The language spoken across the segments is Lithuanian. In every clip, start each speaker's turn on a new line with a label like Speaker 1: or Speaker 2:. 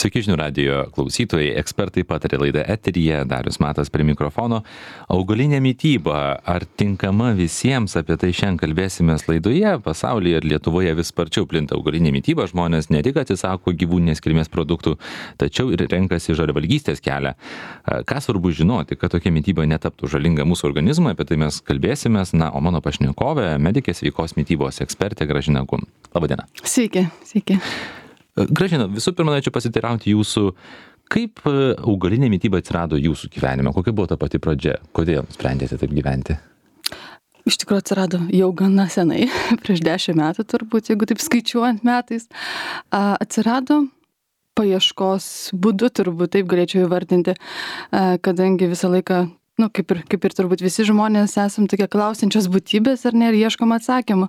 Speaker 1: Sveiki žinių radijo klausytojai, ekspertai patarė laida eteryje, Darius Matas prie mikrofono. Augalinė mityba, ar tinkama visiems, apie tai šiandien kalbėsime laidoje. Pasaulyje ir Lietuvoje vis sparčiau plinta augalinė mityba, žmonės ne tik atsisako gyvūninės kilmės produktų, tačiau ir renkasi žaliavalgystės kelią. Ką svarbu žinoti, kad tokia mityba netaptų žalinga mūsų organizmui, apie tai mes kalbėsimės. Na, o mano pašnekovė, medikė sveikos mitybos ekspertė Gražina Gun. Labadiena.
Speaker 2: Sveiki.
Speaker 1: Gražina, visų pirma, norėčiau pasiteirauti jūsų, kaip augalinė mityba atsirado jūsų gyvenime, kokia buvo ta pati pradžia, kodėl sprendėte taip gyventi?
Speaker 2: Iš tikrųjų atsirado jau gana senai, prieš 10 metų turbūt, jeigu taip skaičiuojant metais. Atsirado paieškos būdu, turbūt taip galėčiau įvardinti, kadangi visą laiką, kaip ir turbūt visi žmonės esam tokie klausiančios būtybės ar ne, ir ieškom atsakymų.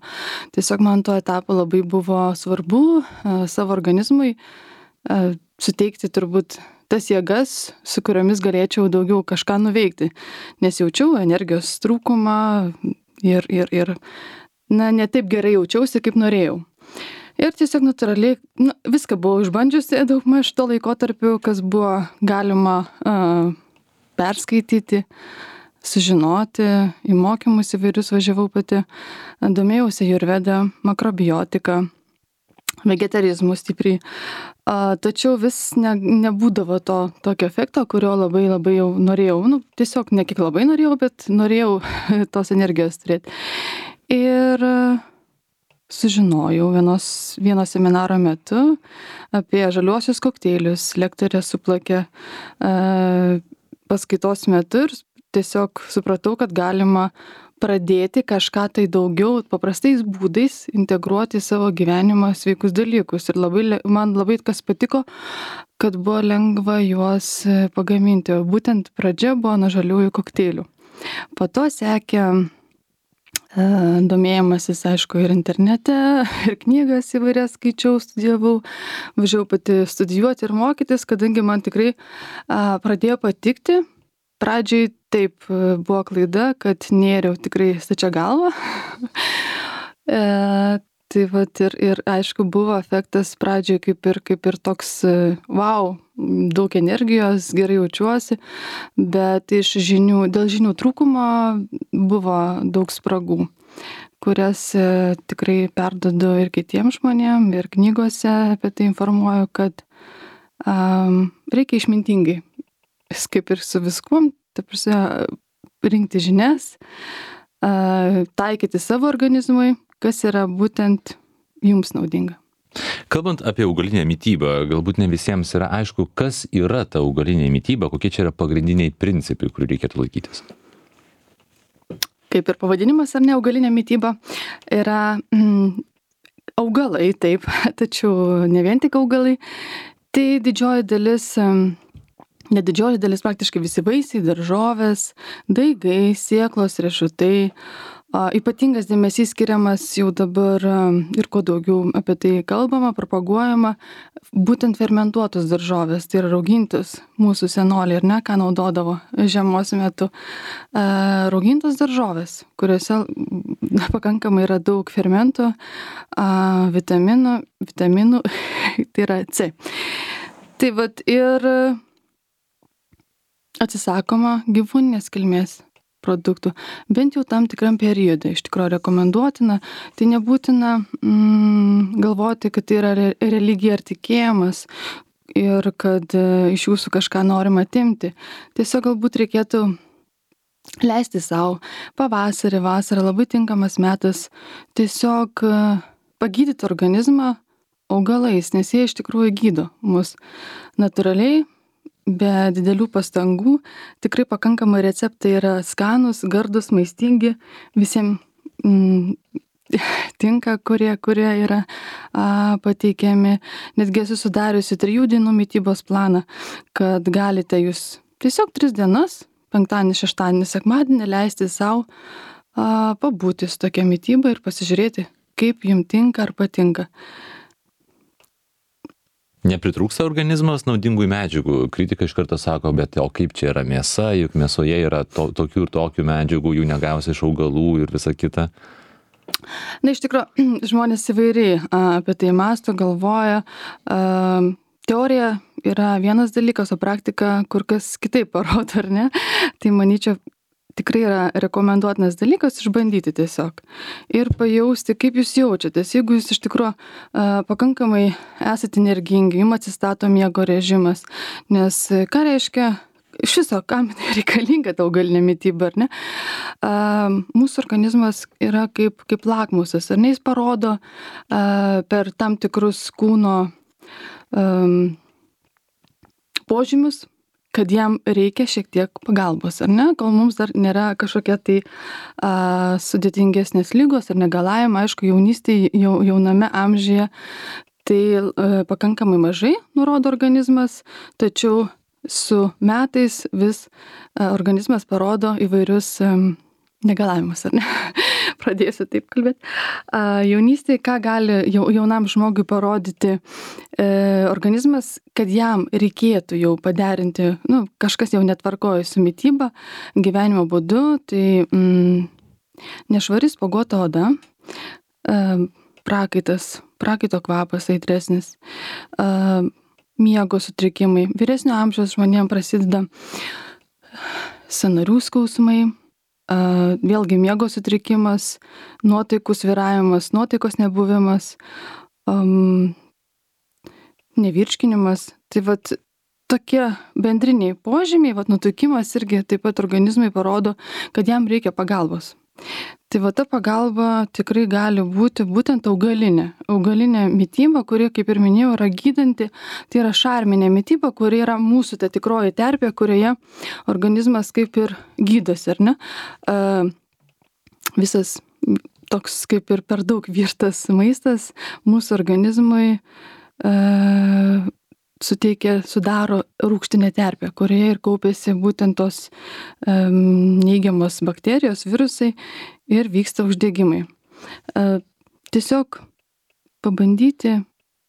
Speaker 2: Tiesiog man to etapo labai buvo svarbu savo organizmui suteikti turbūt tas jėgas, su kuriomis galėčiau daugiau kažką nuveikti. Nes jaučiau energijos trūkumą ir ne taip gerai jaučiausi, kaip norėjau. Ir tiesiog natūraliai viską buvau išbandžiusi daugmaž to laikotarpiu, kas buvo galima perskaityti, sužinoti, į mokymus įvairius važiavau pati, domėjausi ajurveda, makrobiotika, vegetarizmu stipriai. Tačiau vis nebūdavo to tokio efekto, kurio labai jau norėjau. Tiesiog ne kiek labai norėjau, bet norėjau tos energijos turėti. Ir sužinojau vieno seminaro metu apie žaliuosius kokteilius. Lektorė suplakė paskaitos metu ir tiesiog supratau, kad galima pradėti kažką tai daugiau paprastais būdais integruoti į savo gyvenimą sveikus dalykus. Ir man labai kas patiko, kad buvo lengva juos pagaminti. O būtent pradžia buvo nuo žaliųjų kokteilių. Po to sekė domėjimasis, aišku, ir internete, ir knygas įvairias skaičiau, studijavau, važiavau pati studijuoti ir mokytis, kadangi man tikrai pradėjo patikti. Pradžiai taip buvo klaida, kad nėriau tikrai stačia galva. Tai vat ir aišku buvo efektas pradžiai kaip ir toks wow, daug energijos, gerai jaučiuosi, bet dėl žinių trūkumo buvo daug spragų, kurias tikrai perduodu ir kitiems žmonėms, ir knygose apie tai informuoju, kad reikia išmintingai, kaip ir su viskuom, rinkti žinias, taikyti savo organizmui, kas yra būtent jums naudinga.
Speaker 1: Kalbant apie augalinę mitybą, galbūt ne visiems yra aišku, kas yra ta augalinė mityba, kokie čia yra pagrindiniai principai, kurių reikėtų laikytis.
Speaker 2: Kaip ir pavadinimas, ar ne, augalinė mityba yra augalai, taip, tačiau ne vien tik augalai. Tai didžioji dalis, praktiškai visi vaisiai, daržovės, daigai, sėklos, riešutai. Ypatingas dėmesys skiriamas jau dabar ir kuo daugiau apie tai kalbama, propaguojama, būtent fermentuotos daržovės, tai yra raugintos mūsų senoliai, ir ne, ką naudodavo žiemos metu. Raugintos daržovės, kuriuose pakankamai yra daug fermentų, vitaminų, tai yra C. Tai vat ir atsisakoma gyvūninės kilmės produktų, bent jau tam tikram periodui. Iš tikrųjų rekomenduotina, tai nebūtina galvoti, kad tai yra religija ar tikėjimas ir kad iš jūsų kažką norima atimti. Tiesiog galbūt reikėtų leisti savo pavasarį, vasarą, labai tinkamas metas tiesiog pagydyti organizmą augalais, nes jie iš tikrųjų gydo mus natūraliai, be didelių pastangų. Tikrai pakankamai receptai yra skanūs, gardus, maistingi, visiems tinka, kurie yra pateikiami. Netgi esu sudariusi 3 dienų mitybos planą, kad galite jūs tiesiog 3 dienas, penktadienį, šeštadienį, sekmadienį leisti savo pabūti su tokia mityba ir pasižiūrėti, kaip jums tinka ar patinka.
Speaker 1: Nepritrūksta organizmas naudingų medžiagų. Kritika iš karto sako, bet o kaip čia yra mėsa, juk mėsoje yra tokių ir tokių medžiagų, jų negausi iš augalų ir visa kita.
Speaker 2: Iš tikrųjų, žmonės įvairiai apie tai mąsto, galvoja. Teorija yra vienas dalykas, o praktika kur kas kitaip parodo, ar ne? Tai manyčiau, tikrai yra rekomenduotinas dalykas išbandyti tiesiog ir pajausti, kaip jūs jaučiatės. Jeigu jūs iš tikrųjų pakankamai esate energingi, jums atsistato miego režimas, nes ką reiškia iš viso, kam reikalinga ta augalinė mityba, ar ne? Mūsų organizmas yra kaip lakmusas, ar ne? Jis parodo per tam tikrus kūno požymius, kad jam reikia šiek tiek pagalbos, ar ne? Kol mums dar nėra kažkokia tai sudėtingesnės lygos ar negalavimai, aišku, jaunystėje, jauname amžiuje, tai pakankamai mažai nurodo organizmas, tačiau su metais vis organizmas parodo įvairius negalavimus, ar ne? Pradėsiu taip kalbėti. Jaunystėje, ką gali jaunam žmogui parodyti organizmas, kad jam reikėtų jau paderinti, kažkas jau netvarkoja su mityba, gyvenimo būdu, tai nešvari spuoguota oda, prakaito kvapas aitresnis, miego sutrikimai. Vyresnio amžiaus žmonėms prasideda sąnarių skausmai, vėlgi miego sutrikimas, nuotaikų svyravimas, nuotaikos nebuvimas, nevirškinimas. Tai vat tokie bendriniai požymiai, nutukimas irgi taip pat organizmai parodo, kad jam reikia pagalbos. Tai va ta pagalba tikrai gali būti būtent augalinė mityba, kuri, kaip ir minėjau, yra gydanti, tai yra šarminė mityba, kuri yra mūsų ta tikroji terpė, kurioje organizmas kaip ir gydosi, ar ne? Visas toks kaip ir per daug virtas mūsų organizmui sudaro rūgštinę terpę, kurioje ir kaupiasi būtent tos neigiamos bakterijos, virusai ir vyksta uždegimai. Tiesiog pabandyti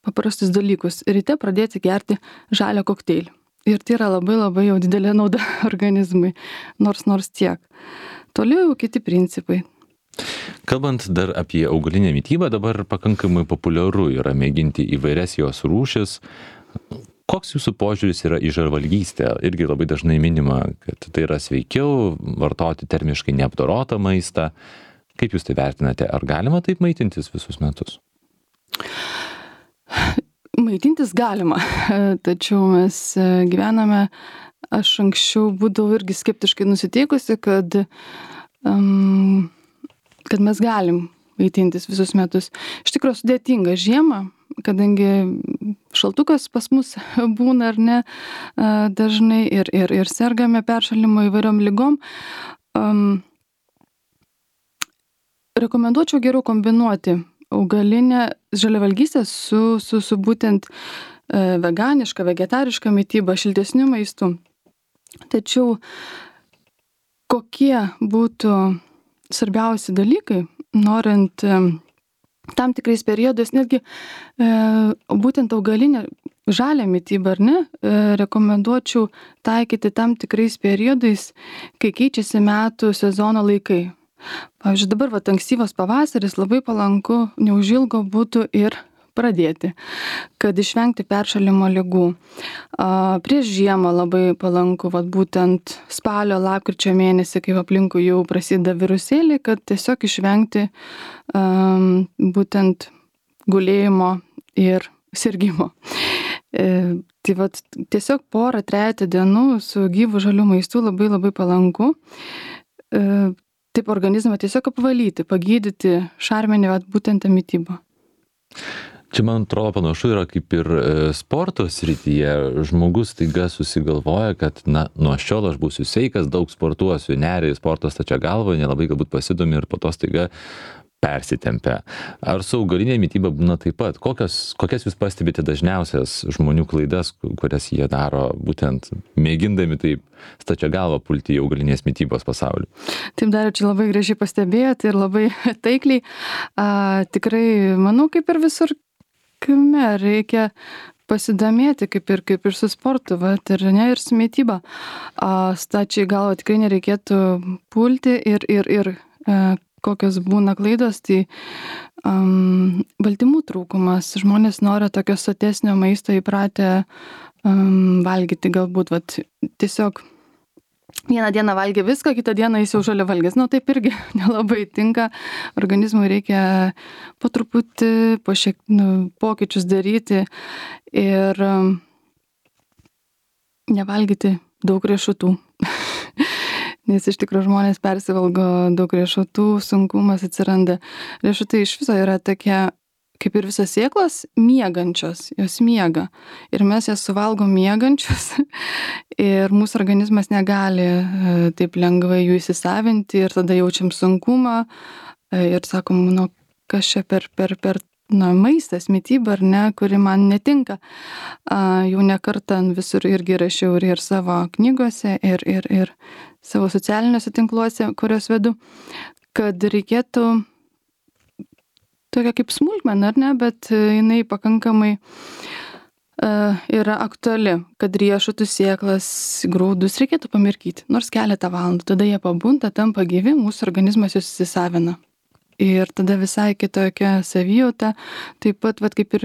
Speaker 2: paprastus dalykus. Ryte pradėti gerti žalią kokteilį. Ir tai yra labai labai jau didelė nauda organizmui, nors tiek. Toliau jau kiti principai.
Speaker 1: Kalbant dar apie augalinę mitybą, dabar pakankamai populiaru yra mėginti įvairias jos rūšis. Koks jūsų požiūris yra į žalvalgystę? Irgi labai dažnai minima, kad tai yra sveikiau vartoti termiškai neapdorotą maistą. Kaip jūs tai vertinate? Ar galima taip maitintis visus metus?
Speaker 2: Maitintis galima, tačiau mes gyvename, aš anksčiau būdavau irgi skeptiškai nusiteikusi, kad mes galim maitintis visus metus. Iš tikrųjų sudėtinga žiemą, kadangi šaltukas pas mus būna ar ne dažnai ir sergame peršalimo įvairiom ligom. Rekomenduočiau geriau kombinuoti augalinę žaliavalgystę su būtent veganiška, vegetariška mityba, šiltesniu maistu. Tačiau kokie būtų svarbiausi dalykai, norint tam tikrais periodais, netgi būtent augalinę žalią mitybą, ar ne, rekomenduočiau taikyti tam tikrais periodais, kai keičiasi metų sezono laikai. Pavyzdžiui, dabar ankstyvas pavasaris labai palanku, neužilgo būtų ir pradėti, kad išvengti peršalimo ligų. Prieš žiemą labai palanku, būtent spalio, lapkričio mėnesį, kai aplinkui jau prasideda virusėliai, kad tiesiog išvengti būtent gulėjimo ir sirgimo. Tai tiesiog porą, trejetą dienų su gyvu žaliu maistu labai labai palanku. Taip organizmą tiesiog apvalyti, pagydyti šarminį būtent tą mitybą.
Speaker 1: Čia, man atrodo, panašu yra kaip ir sporto srityje. Žmogus staiga susigalvoja, kad nuo šiol aš būsiu sveikas, daug sportuosiu, neria į sporto stačia galva, nelabai galbūt pasidomi ir po to staiga persitempia. Ar su augalinė mityba būna taip pat? Kokias jūs pastebite dažniausias žmonių klaidas, kurias jie daro, būtent mėgindami taip stačia galva pulti į augalinės mitybos pasaulį?
Speaker 2: Taip, dar čia labai gražiai pastebėjote ir labai taikliai. Tikrai, manau, kaip ir visur kame reikia pasidomėti, kaip ir su sportu, ir su mityba. Stačiai galva tikrai nereikėtų pulti ir kokios būna klaidos, tai baltymų trūkumas. Žmonės nori tokio sotesnio maisto įpratę valgyti galbūt, vat, tiesiog vieną dieną valgė viską, kitą dieną jis jau žaliavalgis. Nu, taip irgi nelabai tinka. Organizmui reikia po truputį, pokyčius daryti ir nevalgyti daug riešutų. Nes iš tikrųjų žmonės persivalgo daug riešutų, sunkumas atsiranda. Riešutai iš viso yra tokie, kaip ir visos sėklos, miegančios, jos miega. Ir mes jas suvalgom miegančios ir mūsų organizmas negali taip lengvai jų įsisavinti ir tada jaučiam sunkumą ir sakom, nu, kas čia per maistas, mityba, ar ne, kuri man netinka. Jau ne kartą visur irgi rašiau ir savo knygose, ir savo socialiniuose tinkluose, kurios vedu, kad reikėtų tokia kaip smulkmena, ar ne, bet jinai pakankamai yra aktuali, kad riešutų, sėklas, grūdus reikėtų pamirkyti, nors keletą valandų, tada jie pabunda, tampa gyvi, mūsų organizmas juos įsisavina. Ir tada visai kitokia savijauta, taip pat, vat, kaip ir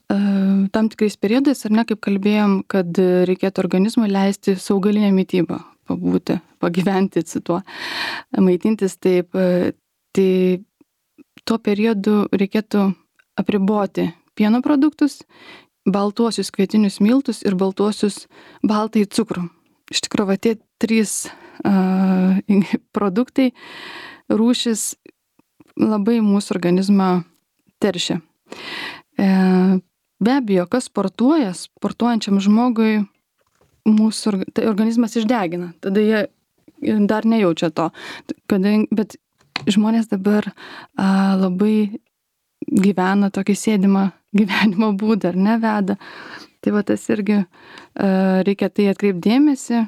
Speaker 2: tam tikrais periodais, ar ne, kaip kalbėjom, kad reikėtų organizmui leisti su augalinė mytyba pabūti, pagyventi su tuo, maitintis taip, tai tuo periodu reikėtų apriboti pieno produktus, baltuosius kvietinius miltus ir baltąjį cukrų. Iš tikrųjų, va, tie 3 produktai, rūšis labai mūsų organizmą teršia. Be abejo, kas sportuoja, sportuojančiam žmogui mūsų organizmas išdegina, tada jie dar nejaučia to, bet žmonės dabar labai gyvena tokį sėdimą gyvenimo būdą, ar ne, veda. Tai va tas irgi reikia tai atkreipdėmėsi,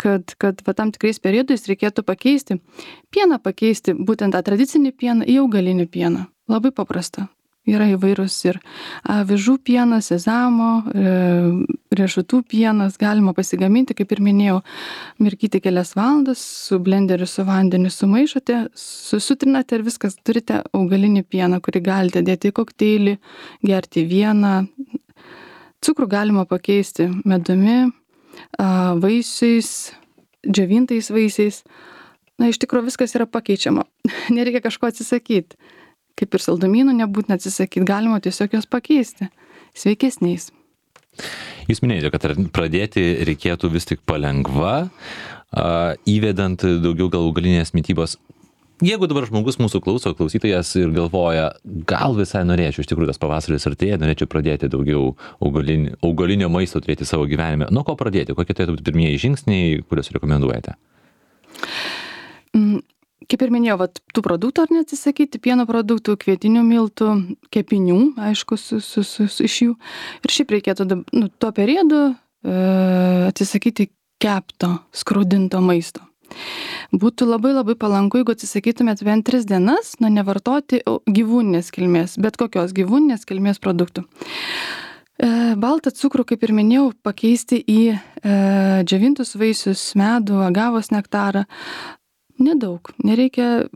Speaker 2: kad va tam tikrais periodais reikėtų pakeisti. Pieną pakeisti, būtent tą tradicinį pieną į augalinį pieną. Labai paprasta. Yra įvairūs ir avižų pienas, sezamo, riešutų pienas, galima pasigaminti, kaip ir minėjau, mirkyti kelias valandas, su blenderiu, su vandeniu sumaišote, susutrinate ir viskas, turite augalinį pieną, kurį galite dėti į kokteilį, gerti vieną. Cukrų galima pakeisti medumi, vaisiais, džiovintais vaisiais. Na, iš tikrųjų viskas yra pakeičiama. Nereikia kažko atsisakyti. Kaip ir saldumynų nebūtina atsisakyti, galima tiesiog jos pakeisti sveikesniais.
Speaker 1: Jūs minėjote, kad pradėti reikėtų vis tik palengva, įvedant daugiau gal augalinės mitybos. Jeigu dabar žmogus mūsų klausytojas ir galvoja, gal visai norėčiau, iš tikrųjų tas pavasaris artėja, norėčiau pradėti daugiau augalinio maisto turėti savo gyvenime. Nuo ko pradėti? Kokie turėtų būti pirmieji žingsniai, kuriuos rekomenduojate?
Speaker 2: Kaip ir minėjau, tų produktų ar neatsisakyti, pieno produktų, kvietinių miltų, kepinių, aišku, iš jų. Ir šiaip reikėtų tuo periodu atsisakyti kepto, skrudinto maisto. Būtų labai labai palanku, jeigu atsisakytumėt bent 3 dienas, nevartoti gyvūninės kilmės, bet kokios gyvūninės kilmės produktų. Baltą cukrų, kaip ir minėjau, pakeisti į džiovintus vaisius, medų, agavos nektarą. Nedaug, nereikia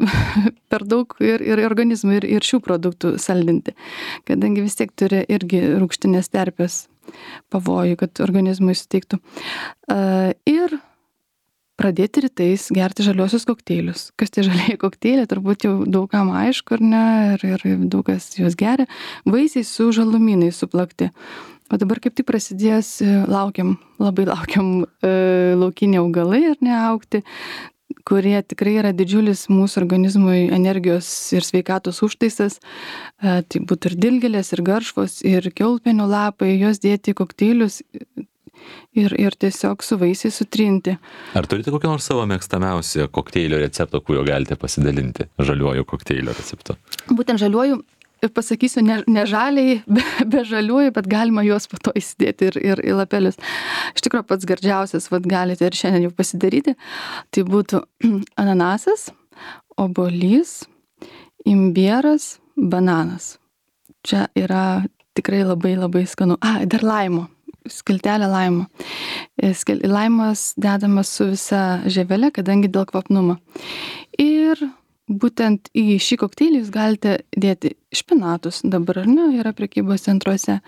Speaker 2: per daug ir organizmui, ir šių produktų saldinti, kadangi vis tiek turi irgi rūgštinės terpės pavojų, kad organizmui suteiktų. Ir pradėti rytais gerti žaliosius kokteilius. Kas tie žalieji kokteiliai, turbūt jau daugam aišku, ar ne, ir daug kas juos geria. Vaisiai su žalumynais suplakti. O dabar kaip tik prasidės, labai laukiam laukiniai augalai, ar ne, augti, kurie tikrai yra didžiulis mūsų organizmui energijos ir sveikatos užtaisas. Tai būtų ir dilgėlės, ir garšvos, ir kiaulpienių lapai, juos dėti į kokteilius ir tiesiog su vaisiais sutrinti.
Speaker 1: Ar turite kokį nors savo mėgstamiausią kokteilio receptą, kuriuo galite pasidalinti? Žaliuoju kokteilio receptu.
Speaker 2: Būtent žaliuoju, pasakysiu, ne žaliai, be žaliųjų, bet galima juos po to įsidėti ir į lapelius. Iš tikrųjų, pats gardžiausias, galite ir šiandien jau pasidaryti, tai būtų ananasas, obuolys, imbieras, bananas. Čia yra tikrai labai labai skanu. Dar laimo, skiltelė laimo. Laimas dedamas su visa žievelė, kadangi dėl kvapnumo. Ir būtent į šį kokteilį jūs galite dėti špinatus, dabar ar ne, yra prekybos centruose,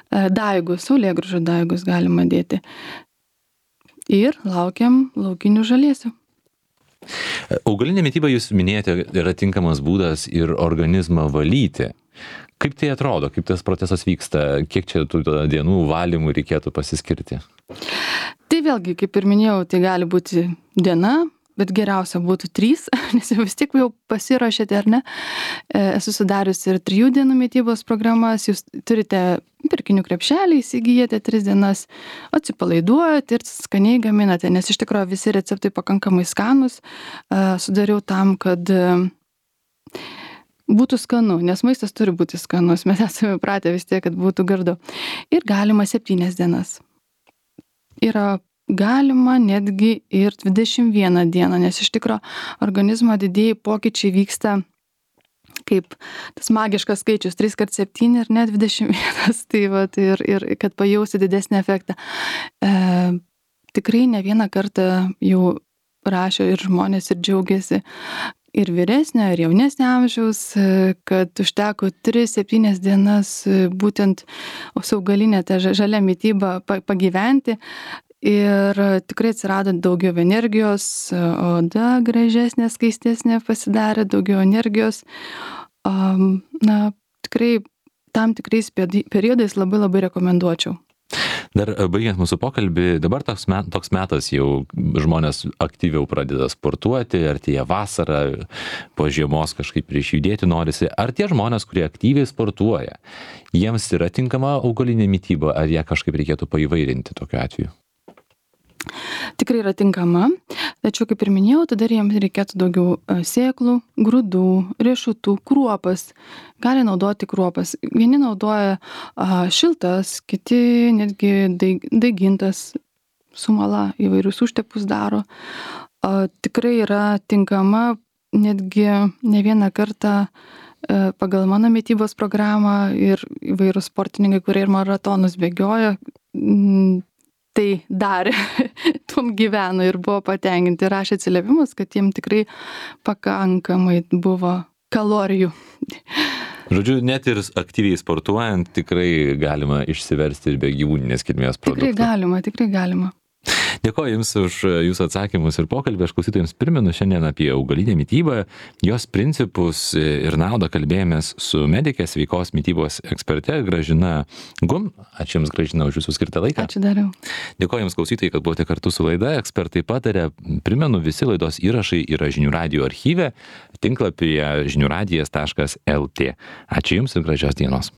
Speaker 2: daigus, saulėgrąžų daigus galima dėti. Ir laukiam laukinių žaliesių.
Speaker 1: Augalinė mityba, jūs minėjote, yra tinkamas būdas ir organizmą valyti. Kaip tai atrodo, kaip tas procesas vyksta, kiek čia tų dienų valymų reikėtų pasiskirti?
Speaker 2: Tai vėlgi, kaip ir minėjau, tai gali būti diena, bet geriausia būtų 3, nes jau vis tiek jau pasiruošėte, ar ne? Esu sudariusi ir 3 dienų mitybos programas, jūs turite pirkinių krepšelį, įsigijate 3 dienas, atsipalaiduojate ir skaniai gaminate, nes iš tikrųjų visi receptai pakankamai skanus, sudariau tam, kad būtų skanu, nes maistas turi būti skanus, mes esame pratę vis tiek, kad būtų gardu. Ir galima 7 dienas. Yra galima netgi ir 21 dieną, nes iš tikro organizmo didieji pokyčiai vyksta kaip tas magiškas skaičius 3x7 ir net 21, tai vat, ir kad pajausti didesnį efektą. Tikrai ne vieną kartą jau rašo ir žmonės ir džiaugiasi, ir vyresnio, ir jaunesnio amžiaus, kad užteko 3-7 dienas būtent su augalinė ta žalia mityba pagyventi. Ir tikrai atsirado daugiau energijos, oda gražesnė, skaistesnė pasidarė, daugiau energijos. Na, tikrai tam tikrais periodais labai rekomenduočiau.
Speaker 1: Dar baigiant mūsų pokalbį, dabar toks metas jau žmonės aktyviau pradeda sportuoti, artėja vasara, po žiemos kažkaip prieš judėti norisi. Ar tie žmonės, kurie aktyviai sportuoja, jiems yra tinkama augalinė mityba, ar ją kažkaip reikėtų paįvairinti tokiu atveju?
Speaker 2: Tikrai yra tinkama, tačiau kaip ir minėjau, tada jiems reikėtų daugiau sėklų, grūdų, riešutų, kruopas. Gali naudoti kruopas. Vieni naudoja šiltas, kiti netgi daigintas, sumala, įvairius užtepus daro. Tikrai yra tinkama, netgi ne vieną kartą pagal mano mitybos programą ir įvairūs sportininkai, kurie ir maratonus bėgioja, tai darė, tuom gyveno ir buvo patenkinti, rašė atsiliepimus, kad jiem tikrai pakankamai buvo kalorijų.
Speaker 1: Žodžiu, net ir aktyviai sportuojant tikrai galima išsiversti ir be gyvūninės kilmės produktų.
Speaker 2: Tikrai galima.
Speaker 1: Dėkoju Jums už Jūsų atsakymus ir pokalbį. Aš klausytojams primenu šiandien apie augalinę mitybą, jos principus ir naudą kalbėjomės su medike, sveikos mitybos eksperte Gražina Gum. Ačiū Jums, Gražina, už Jūsų skirtą laiką.
Speaker 2: Ačiū dariau.
Speaker 1: Dėkoju Jums, klausytojai, kad buvote kartu su laida. Ekspertai pataria. Primenu, visi laidos įrašai yra Žinių radijo archyve, tinklapyje žiniųradijas.lt. Ačiū Jums ir gražios dienos.